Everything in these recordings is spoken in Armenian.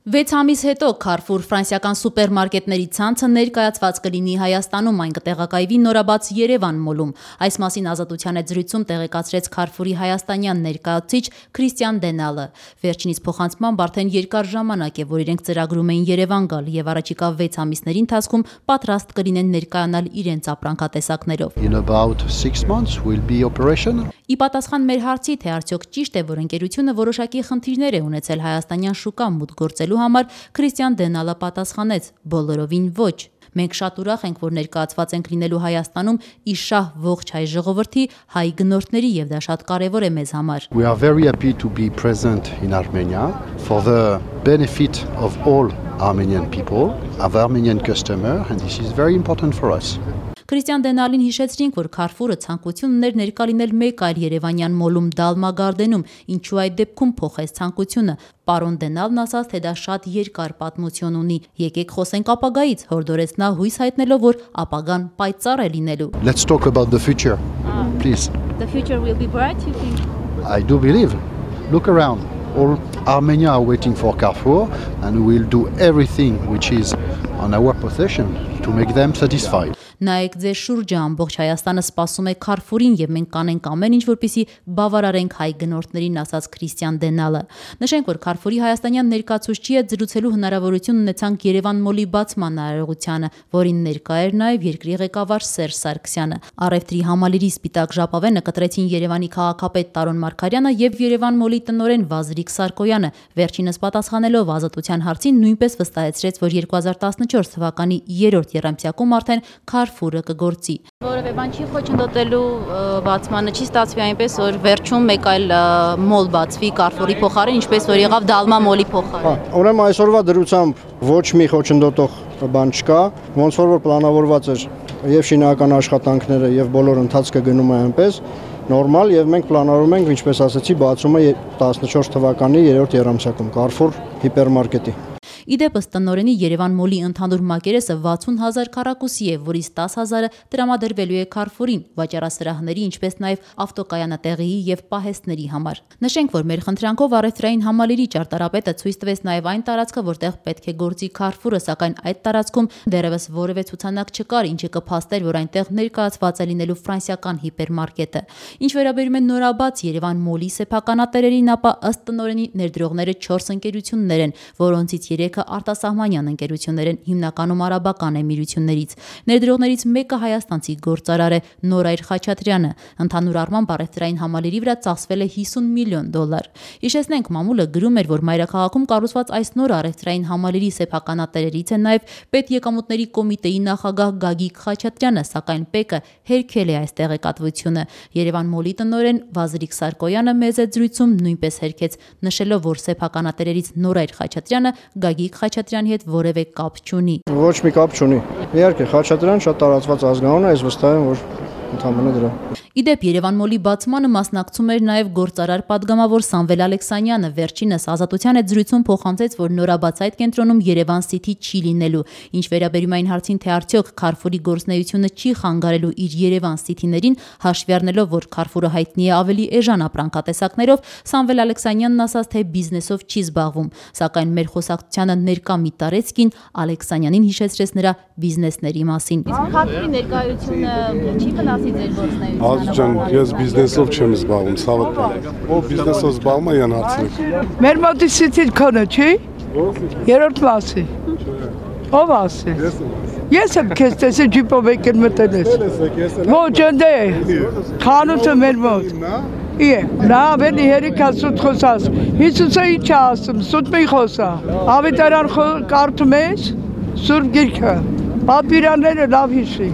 6 ամիս հետո Carrefour ֆրանսիական սուպերմարկետների ցանցը ներկայացված կլինի Հայաստանում, այն կտեղակայվի նորաբաց Երևան մոլում։ Այս մասին Ազատության հետ զրույցում տեղեկացրեց Carrefour-ի հայաստանյան ներկայացուցիչ Քրիստիան Դենալը։ Վերջինիս փոխանցմամբ արդեն երկար ժամանակ է, որ իրենք ծրագրում էին Երևան գալ եւ առաջիկա 6 ամիսների ընթացքում պատրաստ կլինեն ներկայանալ իրենց ապրանքատեսակներով։ In about 6 months we'll be operational. Ի պատասխան մեր հարցի, թե արդյոք ճիշտ է, որ ընկերությունը որոշակի խնդիրներ է ունեցել հայաստանյան շուկա մուտք գործելու համար, Քրիստիան Դենալը պատասխանեց. բոլորովին ոչ։ Մենք շատ ուրախ ենք, որ ներկայացված ենք լինելու Հայաստանում իշահ ողջ հայ ժողովրդի, հայ գնորդների եւ դա շատ կարեւոր է մեզ համար։ We are very happy to be present in Armenia for the benefit of all Armenian people, of Armenian customer, and this is very important for us. Քրիստիան Դենալին հիշեցրինք, որ Carrefour-ը ցանկություն ուներ ներկա լինել մեկ այլ երևանյան մոլում Դալմա Գարդենում, ինչու այդ դեպքում փոխեց ցանկությունը։ Պարոն Դենալն ասաց, թե դա շատ երկար պատմություն ունի։ Եկեք խոսենք ապագայից, հորդորեց նա հույս հայտնելով, որ ապագան պայծառ է լինելու։ Let's talk about the future, please. The future will be bright, you think? I do believe. Look around. All Armenia are waiting for Carrefour, and we will do everything which is on our possession to make them satisfied. Նայեք ձեր շուրջը, ամբողջ Հայաստանը սպասում է Carrefour-ին եւ մենք կանենք ամեն ինչ, որպեսզի բավարարենք հայ գնորդներին, ասաց Քրիստիան Դենալը։ Նշենք, որ Carrefour-ի հայաստանյան ներկայացուցչի հետ զրուցելու հնարավորություն ունեցանք Երևան մոլի բացման արարողությանը, որին ներկա էր նաեւ երկրի ղեկավար Սերժ Սարգսյանը։ Առևտրի համալիրի Սպիտակ ժապավենը կտրեցին Երևանի քաղաքապետ Տարոն Մարգարյանը եւ Երևան մոլի տնօրեն Վազրիկ Սարգոյանը։ Վերջինս պատասխանելով Ազատության հարցին նույնպես վստահեցրեց, որ 2014 թվականի 3-րդ եռամսյակում արդեն Carrefour-ը կգործի։ Որևէ բան չի խոչընդոտելու բացմանը, չի ստացվի այնպես, որ վերջում մեկ այլ մոլ բացվի Carrefour-ի փոխարեն, ինչպես որ եղավ Դալմա մոլի փոխարեն։ Ուրեմն այսօրվա դրությամբ ոչ մի խոչընդոտող բան չկա, ոնց որ պլանավորված էր եւ շինական աշխատանքները եւ բոլոր ընթացքը գնում է այնպես նորմալ եւ մենք պլանավորում ենք, ինչպես ասացի, բացումը 14 թվականի 3-րդ եռամսյակում Carrefour հիպերմարկետի։ Իդեպս տնօրենի Երևան մոլի ընդհանուր մակերեսը 60,000 քառակուսի է, որից 10,000-ը տրամադրվելու է Carrefour-ին, վաճառասրահների, ինչպես նաև ավտոկայանատեղիի եւ պահեստների համար։ Նշենք, որ մեր խնդրանքով առևտրային համալիրի ճարտարապետը ցույց տվեց նաև այն տարածքը, որտեղ պետք է գործի Carrefour-ը, սակայն այդ տարածքում դեռևս որևէ ցուցանակ չկար, ինչը կփաստեր, որ այնտեղ ներկայացված է լինելու ֆրանսիական հիպերմարկետը։ Ինչ վերաբերում է նորաբաց Երևան մոլի սեփականատերերին, ապա ըստ տնօրենի ներդրողները 4 ընկերություններ են, որոնցից 3 արտասահմանյան ընկերություններ են, հիմնականում արաբական էմիրություններից։ Ներդրողներից մեկը հայաստանցի գործարար է Նորայր Խաչատրյանը։ Ընդհանուր առմամբ առևտրային համալիրի վրա ծախսվել է $50 միլիոն։ Հիշեցնենք, մամուլը գրում էր, որ մայրաքաղաքում կառուցված այս նոր առևտրային համալիրի սեփականատերերից է նաև պետեկամուտների կոմիտեի նախագահ Գագիկ Խաչատրյանը, սակայն ՊԵԿ-ը հերքել է այս տեղեկատվությունը։ Երևան մոլի տնօրեն Վազրիկ Սարգոյանը մեծ զրույցում նույնպես հերքեց, նշելով, որ սեփականատերերից Նորայր Խաչատրյանը Գագիկ Խաչատրյանի հետ որևէ կապ չունի։ Ոչ մի կապ չունի։ Իհարկե Խաչատրյան շատ տարածված ազգանուն է, ես վստահ եմ, որ ընդհանրապես դրա։ Իդեպ Երևան մոլի բացմանը մասնակցում էր նաև գործարար падգամավոր Սամվել Ալեքսանյանը։ Վերջինս Ազատության հետ զրույցում փոխանցեց, որ նորաբաց այդ կենտրոնում Երևան City չի լինելու։ Ինչ վերաբերում այն հարցին, թե արդյոք Carrefour-ի գործունեությունը չի խանգարելու իր Երևան City-ներին, հաշվի առնելով, որ Carrefour-ը հայտնի է ավելի էժան ապրանքատեսակներով, Սամվել Ալեքսանյանն ասաց, թե բիզնեսով չի զբաղվում, սակայն մեր խոսակցությանը ներկա մի տարեցկին Ալեքսանյանին հիշեցրեց նրա բիզնեսների մասին։ Carrefour-ի ներկայությունը չի վնասի ձեր գործունեությանը։ Ջան, ես բիզնեսով չեմ զբաղվում, ցավոք բան։ Ով բիզնեսով զբաղվում է, յան հարցրեք։ Մեր մոտի City-ն քոնը չի։ Երրորդ մասի։ Ով ասի։ Ես եմ քեզ տեսել ջիպով եկել մտել ես։ Ոչ ընդ է։ Խանութը մեր մոտ։ Իե, նա ավելի հերիքա սուտ խոսած։ Հիսուսը ինչ է ասում, սուտ մի խոսա։ Ավետարան կարդում ես, Սուրբ Գիրքը։ Պատվիրանները լավ հիշի։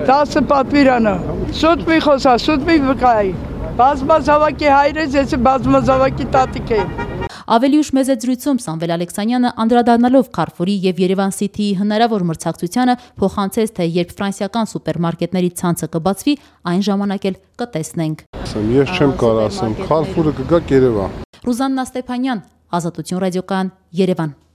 10 պատվիրանը։ Սուտ մի խոսա, սուտ մի վկայի։ Բազմազավակի հայր ես, ես բազմազավակի տատիկ եմ։ Ավելի ուշ մեծ զրույցում Սամվել Ալեքսանյանը անդրադառնալով Carrefour-ի եւ Երևան City-ի հնարավոր մրցակցությանը փոխանցեց, թե երբ ֆրանսիական սուպերմարկետների ցանցը կբացվի, այն ժամանակ էլ կտեսնենք։ Ես չեմ կարող ասեմ, Carrefour-ը կգա Երևան։ Ռուզաննա Ստեփանյան, Ազատություն ռադիոկայան, Երևան։